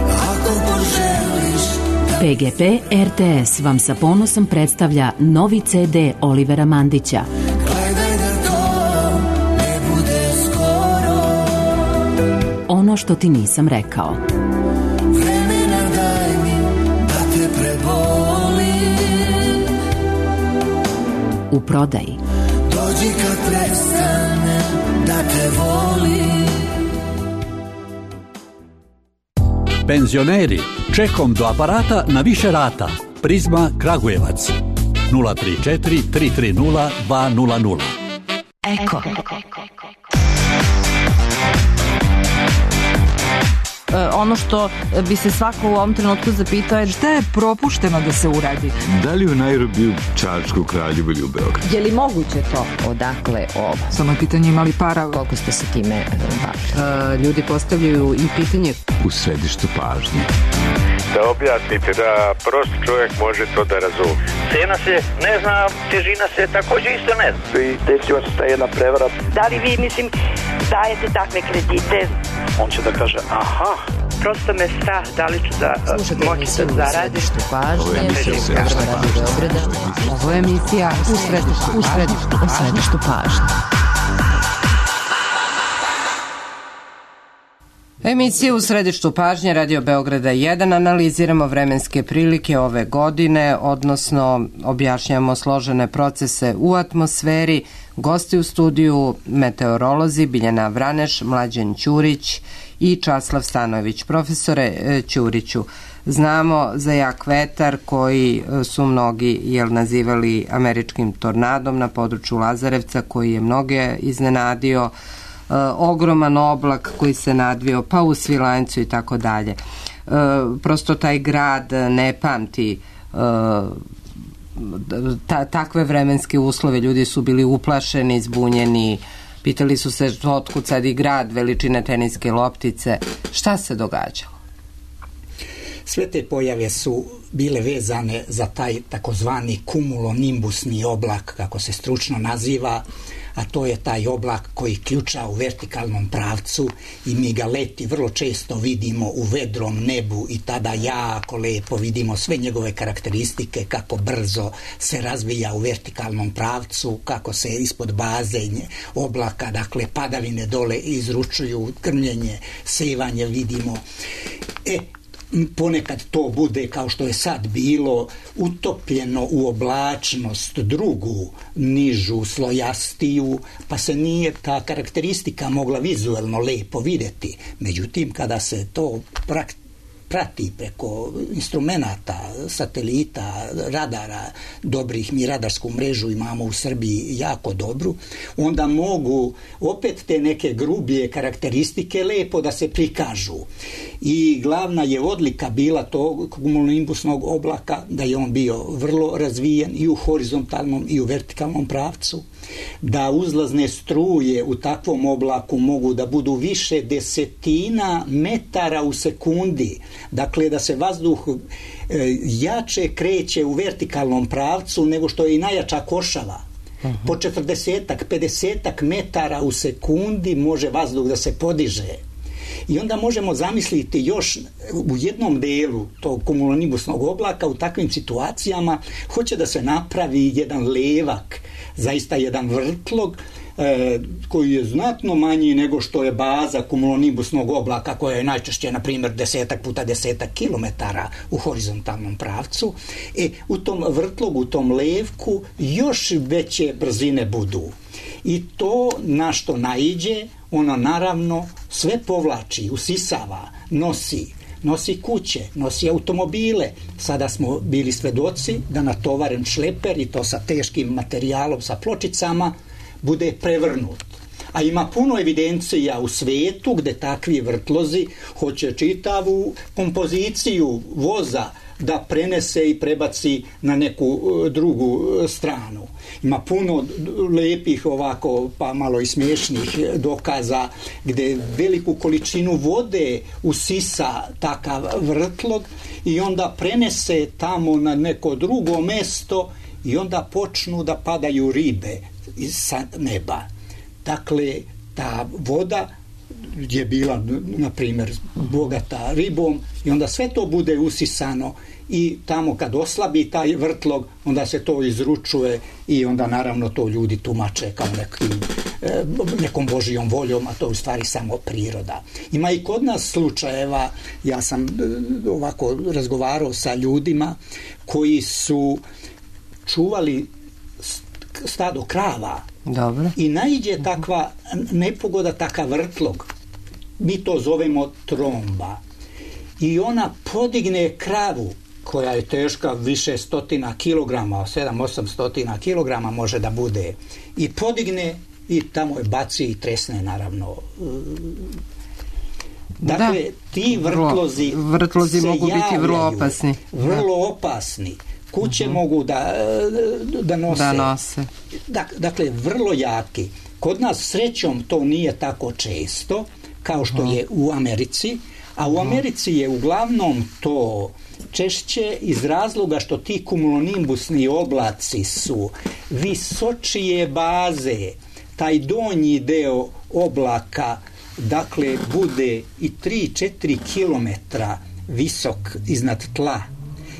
Ako poželiš da... P G P R T S vam sa ponosom predstavlja novi C D Olivera Mandića. Gledaj da to ne bude skoro. Ono što ti nisam rekao. Vremena daj mi da te prebolim. U prodaji. Dođi kad prestane da te volim. Penzioneri, čekom do aparata na više rata. Prizma Kragujevac nula tri četiri tri tri nula dva nula nula. Eko. Ono što bi se svako u ovom trenutku zapitao je šta je propušteno da se uradi. Da li u Nairobiju, Čačku, Kraljevu ili u Beogradu? Je li moguće to? Odakle ovo? Samo je pitanje imali para. Koliko ste se time bavili? Ljudi postavljaju i pitanje u središtu pažnje. Da objasnite da prost čovjek može to da razumije. Cena se ne zna, težina se također isto ne zna. I desila se ta jedna prevara. Da li vi, mislim, dajete takve kredite? On će da kaže, aha. Prosto me strah, da li ću da moći da zaradim. Ovo je emisija u središtu pažnje. Ovo je emisija u središtu, u središtu, u središtu pažnje. Emisija u središtu pažnje Radio Beograda jedan, analiziramo vremenske prilike ove godine, odnosno objašnjamo složene procese u atmosferi. Gosti u studiju meteorolozi Biljana Vraneš, Mlađan Ćurić i Časlav Stanojević. Profesore Ćuriću, znamo za jak vetar koji su mnogi jel, nazivali američkim tornadom na području Lazarevca, koji je mnoge iznenadio, e, ogroman oblak koji se nadvio pa u Svilajncu i tako dalje. Prosto taj grad ne pamti e, ta, takve vremenske uslove, ljudi su bili uplašeni, zbunjeni, pitali su se otkud sad i grad veličine teniske loptice. Šta se događalo? Sve te pojave su bile vezane za taj takozvani kumulonimbusni oblak, kako se stručno naziva, a to je taj oblak koji ključa u vertikalnom pravcu i mi ga leti vrlo često vidimo u vedrom nebu i tada jako lepo vidimo sve njegove karakteristike, kako brzo se razvija u vertikalnom pravcu, kako se ispod baze oblaka, dakle padavine dole izručuju, krmljenje, sevanje vidimo. E, ponekad to bude, kao što je sad bilo, utopljeno u oblačnost drugu, nižu, slojastiju, pa se nije ta karakteristika mogla vizuelno lepo vidjeti. Međutim, kada se to praktično prati preko instrumenata, satelita, radara dobrih, mi radarsku mrežu imamo u Srbiji jako dobru, onda mogu opet te neke grublje karakteristike lepo da se prikažu. I glavna je odlika bila tog kumulonimbusnog oblaka da je on bio vrlo razvijen i u horizontalnom i u vertikalnom pravcu, da uzlazne struje u takvom oblaku mogu da budu više desetina metara u sekundi, dakle da se vazduh e, jače kreće u vertikalnom pravcu nego što je i najjača košava. Uh-huh. Po četrdesetak, pedesetak metara u sekundi može vazduh da se podiže. I onda možemo zamisliti još u jednom delu tog kumulonimbusnog oblaka u takvim situacijama hoće da se napravi jedan levak, zaista jedan vrtlog e, koji je znatno manji nego što je baza kumulonimbusnog oblaka koja je najčešće, na primjer, desetak puta desetak kilometara u horizontalnom pravcu. E, u tom vrtlogu, u tom levku još veće brzine budu. I to na što naiđe, ono naravno sve povlači, usisava, nosi, nosi kuće, nosi automobile. Sada smo bili svedoci da natovaren šleper, i to sa teškim materijalom, sa pločicama, bude prevrnut. A ima puno evidencija u svetu gde takvi vrtlozi hoće čitavu kompoziciju voza da prenese i prebaci na neku drugu stranu. Ima puno lepih ovako, pa malo i smiješnih dokaza gde veliku količinu vode usisa takav vrtlog i onda prenese tamo na neko drugo mesto i onda počnu da padaju ribe sa neba. Dakle, ta voda je bila, na primjer, bogata ribom i onda sve to bude usisano i tamo kad oslabi taj vrtlog, onda se to izručuje i onda naravno to ljudi tumače kao nekim, nekom božijom voljom, a to je u stvari samo priroda. Ima i kod nas slučajeva, ja sam ovako razgovarao sa ljudima koji su čuvali stado krava. Dobro. I naiđe takva nepogoda, takav vrtlog, mi to zovemo tromba, i ona podigne kravu koja je teška više stotina kilograma, sedam osam stotina kilograma može da bude, i podigne i tamo je baci i tresne naravno. Dakle, da, ti vrtlozi, vrtlozi mogu biti vrlo opasni. Vrlo opasni. Kuće uh-huh. mogu da, da nose. Da nose. Dakle, vrlo jaki. Kod nas srećom to nije tako često kao što uh-huh. je u Americi, a u Americi je uglavnom to češće iz razloga što ti kumulonimbusni oblaci su visočije baze. Taj donji deo oblaka, dakle, bude i tri do četiri kilometra visok iznad tla.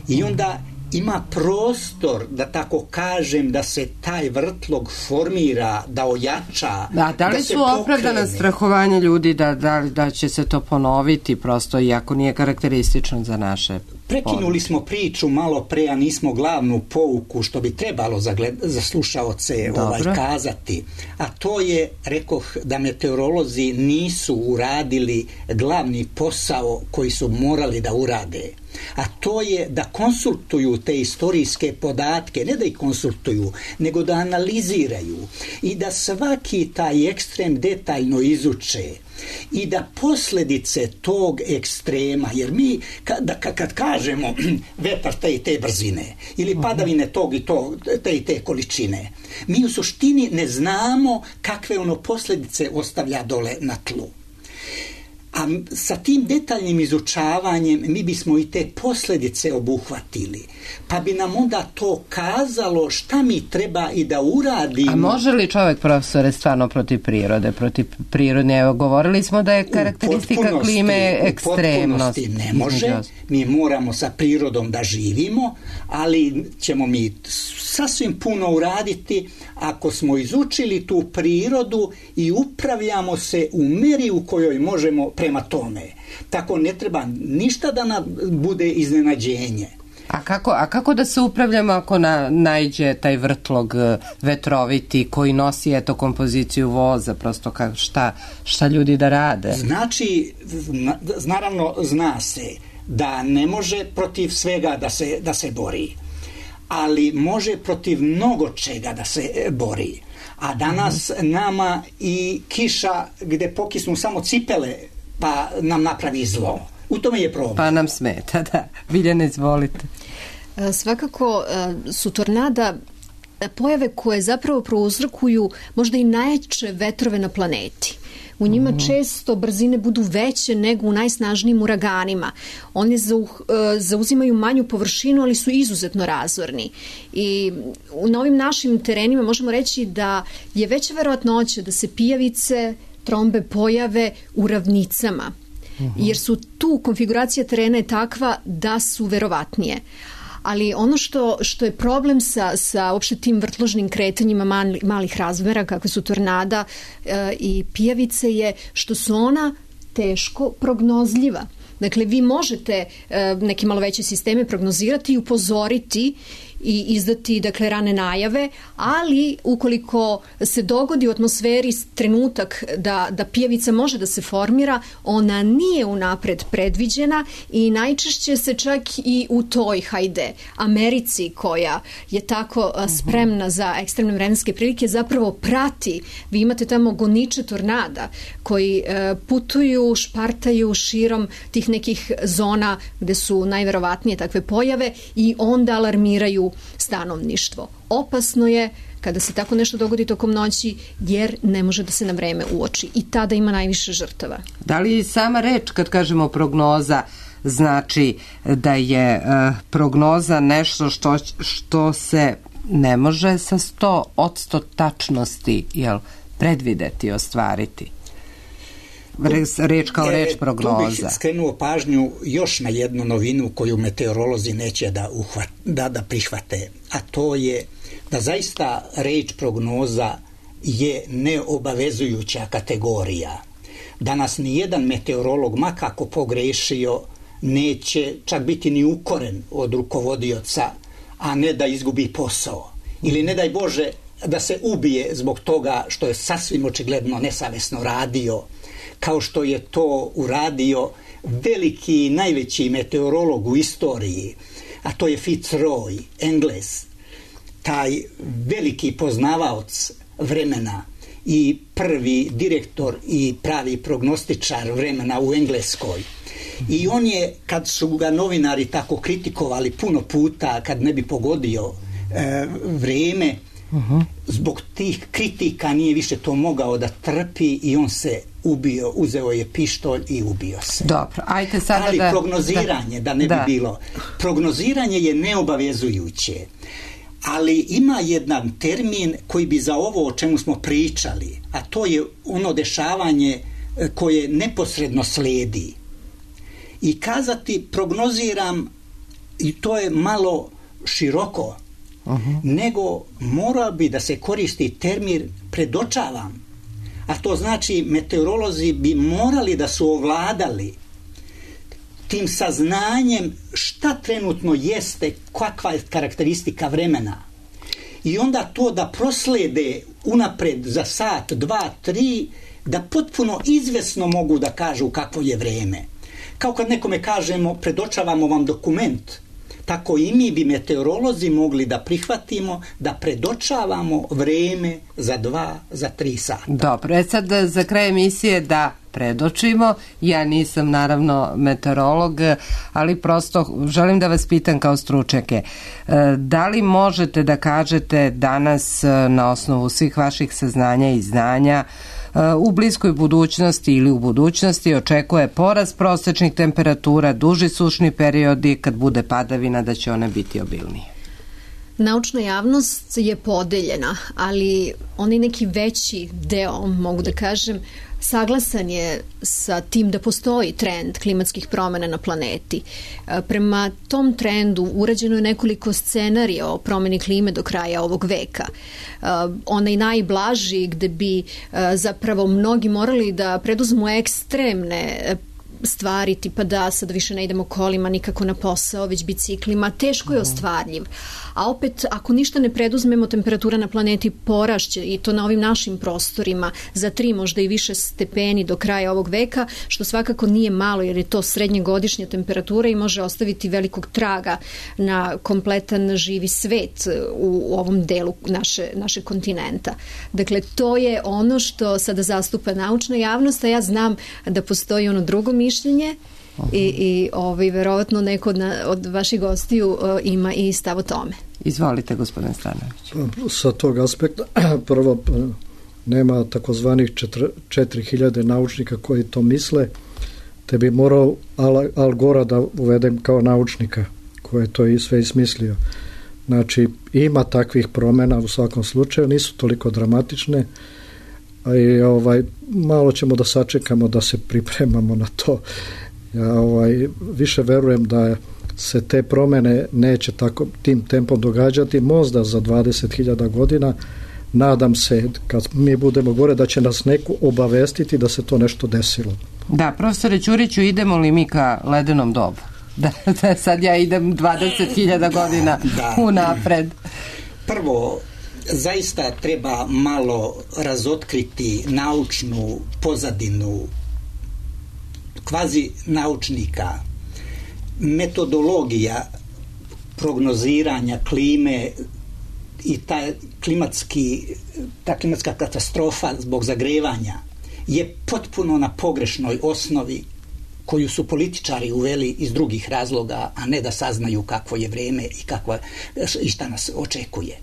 I onda ima prostor, da tako kažem, da se taj vrtlog formira, da ojača, da, da li da se su opravdana strahovanja ljudi da, da, da će se to ponoviti, prosto, iako nije karakteristično za naše Prekinuli smo priču malo pre, a nismo glavnu pouku što bi trebalo za, gled, za slušaoce ovaj, kazati. A to je, rekoh, da meteorolozi nisu uradili glavni posao koji su morali da urade. A to je da konsultuju te istorijske podatke, ne da ih konsultuju, nego da analiziraju i da svaki taj ekstrem detaljno izuče i da posljedice tog ekstrema, jer mi kada, kad kažemo vetar te i te brzine ili padavine tog i tog, te i te količine, mi u suštini ne znamo kakve ono posljedice ostavlja dole na tlu. A sa tim detaljnim izučavanjem mi bismo i te posljedice obuhvatili. Pa bi nam onda to kazalo šta mi treba i da uradimo. A može li čovjek, profesore, stvarno protiv prirode, protiv prirodne? Evo, govorili smo da je karakteristika klime ekstremnost. U potpunosti ne može. Mi moramo sa prirodom da živimo, ali ćemo mi sasvim puno uraditi ako smo izučili tu prirodu i upravljamo se u meri u kojoj možemo prema tome. Tako ne treba ništa da nam bude iznenađenje. A kako, a kako da se upravljamo ako na, najđe taj vrtlog vetroviti koji nosi eto kompoziciju voza, prosto ka, šta, šta ljudi da rade? Znači, naravno zna se da ne može protiv svega da se, da se bori, ali može protiv mnogo čega da se bori. A danas mm-hmm. nama i kiša gde pokisnu samo cipele pa nam napravi zlo. U tome je problem. Pa nam smeta, da. Biljana, izvolite. Svakako su tornada pojave koje zapravo prouzrokuju možda i najjače vetrove na planeti. U njima mm. često brzine budu veće nego u najsnažnijim uraganima. Oni zauzimaju manju površinu, ali su izuzetno razorni. I na ovim našim terenima možemo reći da je veća verovatnoća da se pijavice, trombe pojave u ravnicama. Jer su tu konfiguracija terena je takva da su verovatnije. Ali ono što, što je problem sa, sa uopšte tim vrtložnim kretanjima mali, malih razmera, kakve su tornada e, i pijavice, je što su ona teško prognozljiva. Dakle, vi možete e, neke malo veće sisteme prognozirati i upozoriti i izdati, dakle, rane najave, ali ukoliko se dogodi u atmosferi trenutak da, da pijavica može da se formira, ona nije unapred predviđena i najčešće se čak i u toj, hajde, Americi koja je tako spremna za ekstremne vremenske prilike, zapravo prati. Vi imate tamo goniče tornada koji putuju, špartaju širom tih nekih zona gde su najverovatnije takve pojave i onda alarmiraju stanovništvo. Opasno je kada se tako nešto dogodi tokom noći, jer ne može da se na vreme uoči i tada ima najviše žrtava. Da li sama reč, kad kažemo prognoza, znači da je uh, prognoza nešto što, što se ne može sa sto odsto tačnosti, jel, predvideti, ostvariti? Reč kao reč prognoza. Tu bih skrenuo pažnju još na jednu novinu koju meteorolozi neće da, uhvat, da, da prihvate, a to je da zaista reč prognoza je neobavezujuća kategorija. Danas nijedan meteorolog, makako pogrešio, neće čak biti ni ukoren od rukovodioca, a ne da izgubi posao. Ili ne daj Bože da se ubije zbog toga što je sasvim očigledno nesavesno radio, kao što je to uradio veliki, najveći meteorolog u istoriji, a to je Fitzroy, Engles, taj veliki poznavaoc vremena i prvi direktor i pravi prognostičar vremena u Engleskoj. I on je, kad su ga novinari tako kritikovali puno puta, kad ne bi pogodio e, vrijeme, uh-huh. zbog tih kritika nije više to mogao da trpi i on se ubio, uzeo je pištolj i ubio se. Dobro, ajte sada Ali da... prognoziranje, da, da ne da. bi bilo, prognoziranje je neobavezujuće, ali ima jedan termin koji bi za ovo o čemu smo pričali, a to je ono dešavanje koje neposredno slijedi. I kazati prognoziram, i to je malo široko, uh-huh. nego mora bi da se koristi termin predočavam. A to znači meteorolozi bi morali da su ovladali tim saznanjem šta trenutno jeste, kakva je karakteristika vremena. I onda to da proslede unapred za sat, dva, tri, da potpuno izvesno mogu da kažu kakvo je vreme. Kao kad nekome kažemo, predočavamo vam dokument, tako i mi bi meteorolozi mogli da prihvatimo da predočavamo vreme za dva, za tri sata. Dobro, e sad za kraj emisije da predočimo. Ja nisam naravno meteorolog, ali prosto želim da vas pitam kao stručnjake. Da li možete da kažete danas na osnovu svih vaših saznanja i znanja u bliskoj budućnosti ili u budućnosti očekuje porast prosečnih temperatura, duži sušni periodi, kad bude padavina da će one biti obilnije? Naučna javnost je podeljena, ali onaj neki veći deo, mogu da kažem, saglasan je sa tim da postoji trend klimatskih promjena na planeti. Prema tom trendu urađeno je nekoliko scenarija o promjeni klime do kraja ovog veka. Onaj najblaži gde bi zapravo mnogi morali da preduzmu ekstremne stvari, tipa da sad više ne idemo kolima nikako na posao, već biciklima, teško je ostvarljiv. A opet, ako ništa ne preduzmemo, temperatura na planeti porašće, i to na ovim našim prostorima za tri, možda i više stepeni do kraja ovog veka, što svakako nije malo, jer je to srednjegodišnja temperatura i može ostaviti velikog traga na kompletan živi svet u ovom delu naše, naše kontinenta. Dakle, to je ono što sada zastupa naučna javnost, a ja znam da postoji ono drugo mišljenje, i, i ovaj, verovatno neko od, na, od vaših gostiju uh, ima i stav o tome. Izvolite, gospodin Stanović. Sa tog aspekta, prvo, nema takozvanih četiri hiljade naučnika koji to misle, te bi morao Al, Al Gora da uvedem kao naučnika koji je to i sve ismislio. Znači, ima takvih promjena u svakom slučaju, nisu toliko dramatične, a i ovaj, malo ćemo da sačekamo da se pripremamo na to. Ja ovaj, više verujem da se te promjene neće tako tim tempom događati, možda za dvadeset hiljada godina. Nadam se, kad mi budemo gore, da će nas neko obavestiti da se to nešto desilo. Da, profesore Ćuriću, idemo li mi ka ledenom dobu? Da, da sad ja idem dvadeset hiljada godina da, unapred. Prvo, zaista treba malo razotkriti naučnu pozadinu kvazi naučnika. Metodologija prognoziranja klime i ta, klimatski, ta klimatska katastrofa zbog zagrevanja je potpuno na pogrešnoj osnovi koju su političari uveli iz drugih razloga, a ne da saznaju kakvo je vreme i, kakva, i šta nas očekuje.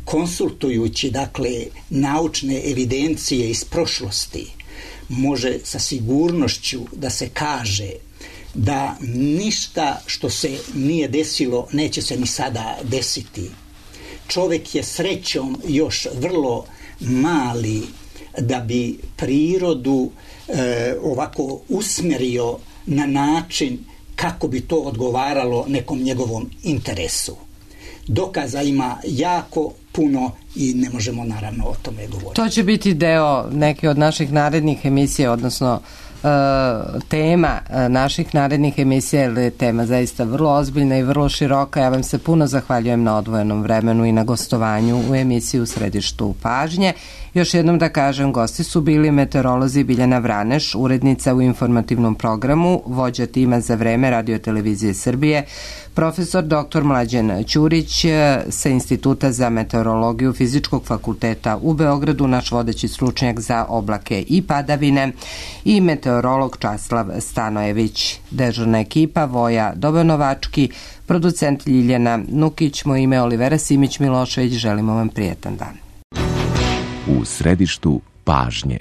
Konsultujući, dakle, naučne evidencije iz prošlosti, može sa sigurnošću da se kaže da ništa što se nije desilo neće se ni sada desiti. Čovjek je srećom još vrlo mali da bi prirodu e, ovako usmerio na način kako bi to odgovaralo nekom njegovom interesu. Dokaza ima jako puno i ne možemo naravno o tome govoriti. To će biti deo neke od naših narednih emisija, odnosno e, tema naših narednih emisija, jer je tema zaista vrlo ozbiljna i vrlo široka. Ja vam se puno zahvaljujem na odvojenom vremenu i na gostovanju u emisiji U središtu pažnje. Još jednom da kažem, gosti su bili meteorolozi Biljana Vraneš, urednica u informativnom programu, vođa tima za vreme Radio-televizije Srbije, profesor doktor Mlađan Ćurić sa Instituta za meteorologiju Fizičkog fakulteta u Beogradu, naš vodeći stručnjak za oblake i padavine, i meteorolog Časlav Stanojević. Dežurna ekipa Voja Dobanovački, producent Ljiljana Nukić, moje ime Olivera Simić Milošević, želimo vam prijetan dan. U središtu pažnje.